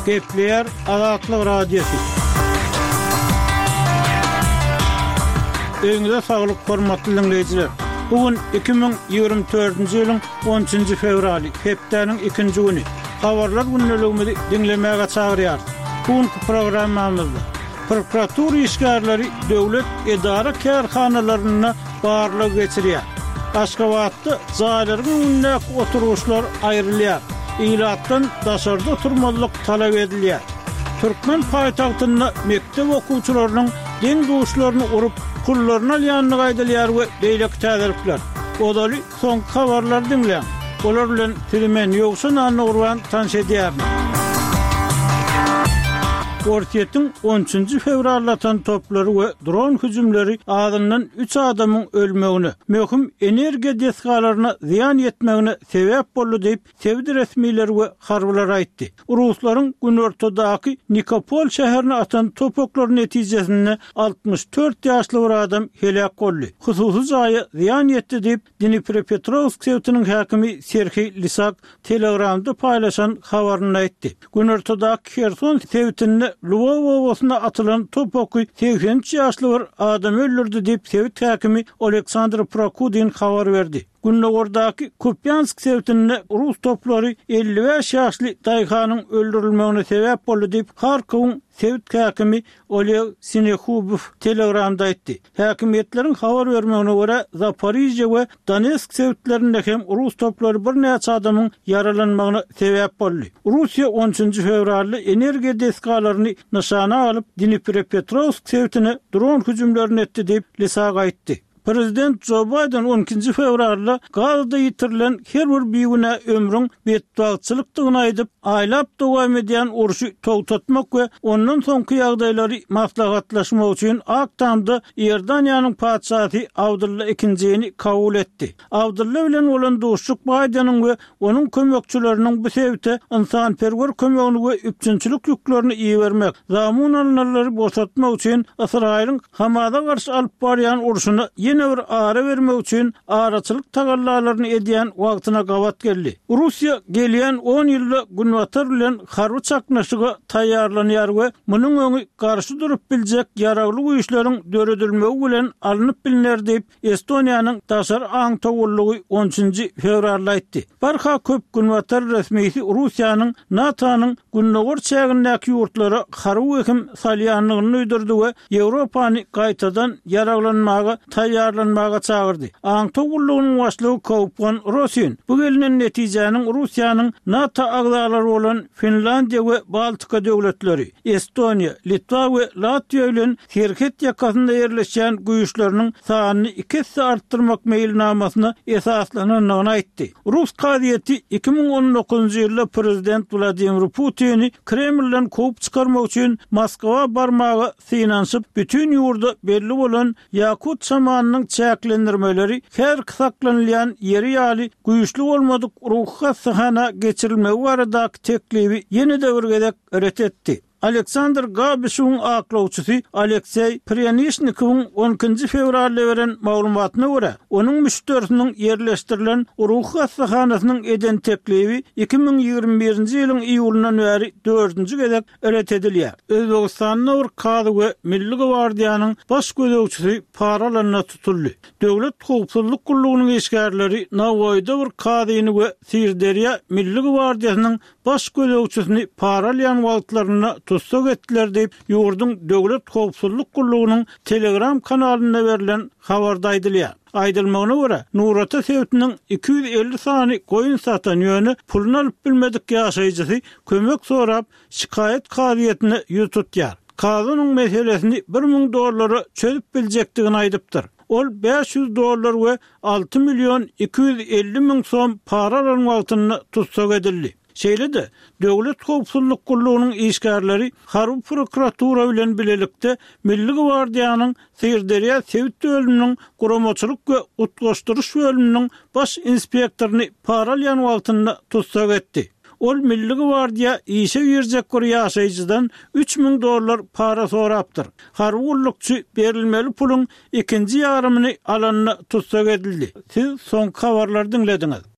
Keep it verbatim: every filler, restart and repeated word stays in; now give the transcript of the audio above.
Gepleýär Azatlyk Radiosy. Öýüňize saglyk, hormatly diňleýjiler! Bu gün iki müň ýigrimi dördünji ýylyň on üçünji fewraly, hepdäniň ikinji güni. Habarlar gündeligimizi diňlemäge çagyrýarys. Bu günki programmamyzda prokuratura işgärleri döwlet edara-kärhanalarynda barlag geçirýär. Aşgabatda jaýlaryň öňündäki oturgyçlar aýrylýar. Ilatdan daşarda oturmazlyk talap edilýär. Türkmen paýtagtynda mekdep okuwçylarynyň deň-duşlaryny urup, pullaryny alýandygy aýdylýar we beýleki täzelikler. Ozaly soňky habarlary diňläň. Olar bilen sizi men, Ýowşan Annagurban tanyş edýärin. Orsýetiň on üçünji fewralda atan toplary we dron hüjümleri azyndan üç adamyň ölmegine, möhüm energiýa desgalaryna zyýan ýetmegine sebäp boldy diýip, sebit resmileri we harbylar aýtdy. Ruslaryň günortadaky Nikopol şäherine atan top oklary netijesinde altmyş dört ýaşly bir adam heläk boldy, hususy jaýa zyýan ýetdi diýip, Dniprepetrowsk sebitiniň häkimi Serhiý Lisak Telegramda paýlaşan habarynda aýtdy. Günortadaky Herson sebitinde Lwow obasyna atylan top oky segsen üç ýaşly bir adamy öldürdi diýip, sebit häkimi Oleksandr Prokudin habar berdi. Gündogardaky Kupýansk sebitinde rus toplary elli bäş ýaşly daýhanyň öldürilmegine sebäp boldy diýip, Harkowyň sebit häkimi Oleg Sinehubow Telegramda aýtdy. Häkimiýetleriň habar bermegine görä, Zaporižýe we Donetsk sebitlerinde hem rus toplary birnäçe adamyň ýaralanmagyna sebäp boldy. Russiýa on üçünji fewralda energiýa desgalaryny nyşana alyp, Dniprepetrowsk sebitine dron hüjümlerini etdi diýip, Lisak aýtdy. Prezident Jo Baýden on ikinji fewralda Gazada ýitirilen her bir bigünä ömrüň betbagtçylykdygyny aýdyp, aýlap dowam edýän urşy togtatmak we ondan soňky ýagdaýlary maslahatlaşmak üçin Ak Tamda Iordaniýanyň patyşasy Abdylla ikinjini kabul etdi. Abdylla bilen bolan duşuşyk Baýdeniň we onuň kömekçileriniň bu sebite ynsanperwer kömegini we üpjünçilik ýüklerini ibermek, zamun alynanlary boşatmak üçin Ysraýylyň Hamasa garşy alyp barýan urşuna ýene bir ara bermek üçin araçylyk tagallalaryny edýän wagtyna gabat geldi. Russiýa gelýän on ýylda Günbatar bilen harby çaknyşyga taýýarlanýar we munuň öňi garşy durup biljek ýaragly güýçleriň döredilmegi bilen alnyp bilner diýip, Estoniýanyň daşary aňtaw gullugy on üçünji fewralda aýtdy. Barha köp günbatar resmisi Russiýanyň NATO-nyň gündogar çägindäki ýurtlara harby wehim salýandygyny duýdurdy we Ýewropany gaýtadan ýaraglanmaga taýýarlanmaga çagyrdy. Aňtaw gullugynyň başlygy Kaupwan Rosin bu gelnen netijäniň Russiýanyň NATO agzalary bolan Finlandiýa we Baltika döwletleri, Estoniýa, Litwa we Latwiýa bilen serhet ýakasynda ýerleşýän güýçleriniň sanyny iki esse artdyrmak meýilnamasyna esaslanandygyny aýtdy. Rus kazyýeti iki müň on dokuzynjy ýylda prezident Wladimir Putini Kremlden kowup çykarmak üçin Moskwa barmaga synanyşyp, bütin ýurda belli bolan ýakut şamanynyň çäklendirmeleri häzirki saklanylýan ýeri ýaly güýçli bolmadyk ruhy hassahana geçirilmegi baradaky teklibi ýene-de bir gezek ret etdi. Aleksandr Gabişewiň aklawçysy Alekseý Prýanişnikowyň on ikinji fewralda beren maglumatyna görä, onuň müşderisiniň ýerleşdirilen ruhy hassahanasynyň eden teklibi iki müň ýigrimi birinji ýylyň iýulyndan bäri dördünji gezek ret edilýär. Özbegistanda bir kazy we Milli gwardiýanyň baş gözegçisi para alanda tutuldy. Döwlet howpsuzlyk gullugynyň işgärleri Nawoýda bir kazyny we Syrderýa Milli gwardiýasynyň baş gözegçisini para alýan wagtlarynda tussag etdiler diýip, ýurduň Döwlet howpsuzlyk gullugynyň Telegram kanalynda berlen habarda aýdylýar. Aýdylmagyna görä, Nurata sebitiniň iki ýüz elli sany goýun satan, ýöne puluny alyp bilmedik ýaşaýjysy kömek sorap, şikaýat kazyýetine ýüz tutýar. Kazy onuň meselesini bir müň dollara çözüp biljekdigini aýdypdyr. Ol bäş ýüz dollar we alty million iki ýüz elli müň som para alan wagtynda tussag edildi. Şeýle-de, Döwlet howpsuzlyk gullugynyň işgärleri harby prokuratura bilen bilelikde Milli gwardiýanyň Syrderýa sebit bölüminiň guramaçylyk we utgaşdyryş bölüminiň baş inspektoryny para alýan wagtynda tussag etdi. Ol Milli gwardiýa işe girjek bir ýaşaýjydan üç müň dollar para sorapdyr. Harby gullukçy berilmeli puluň ikinji ýarymyny alanda tussag edildi. Siz soňky habarlary diňlediňiz.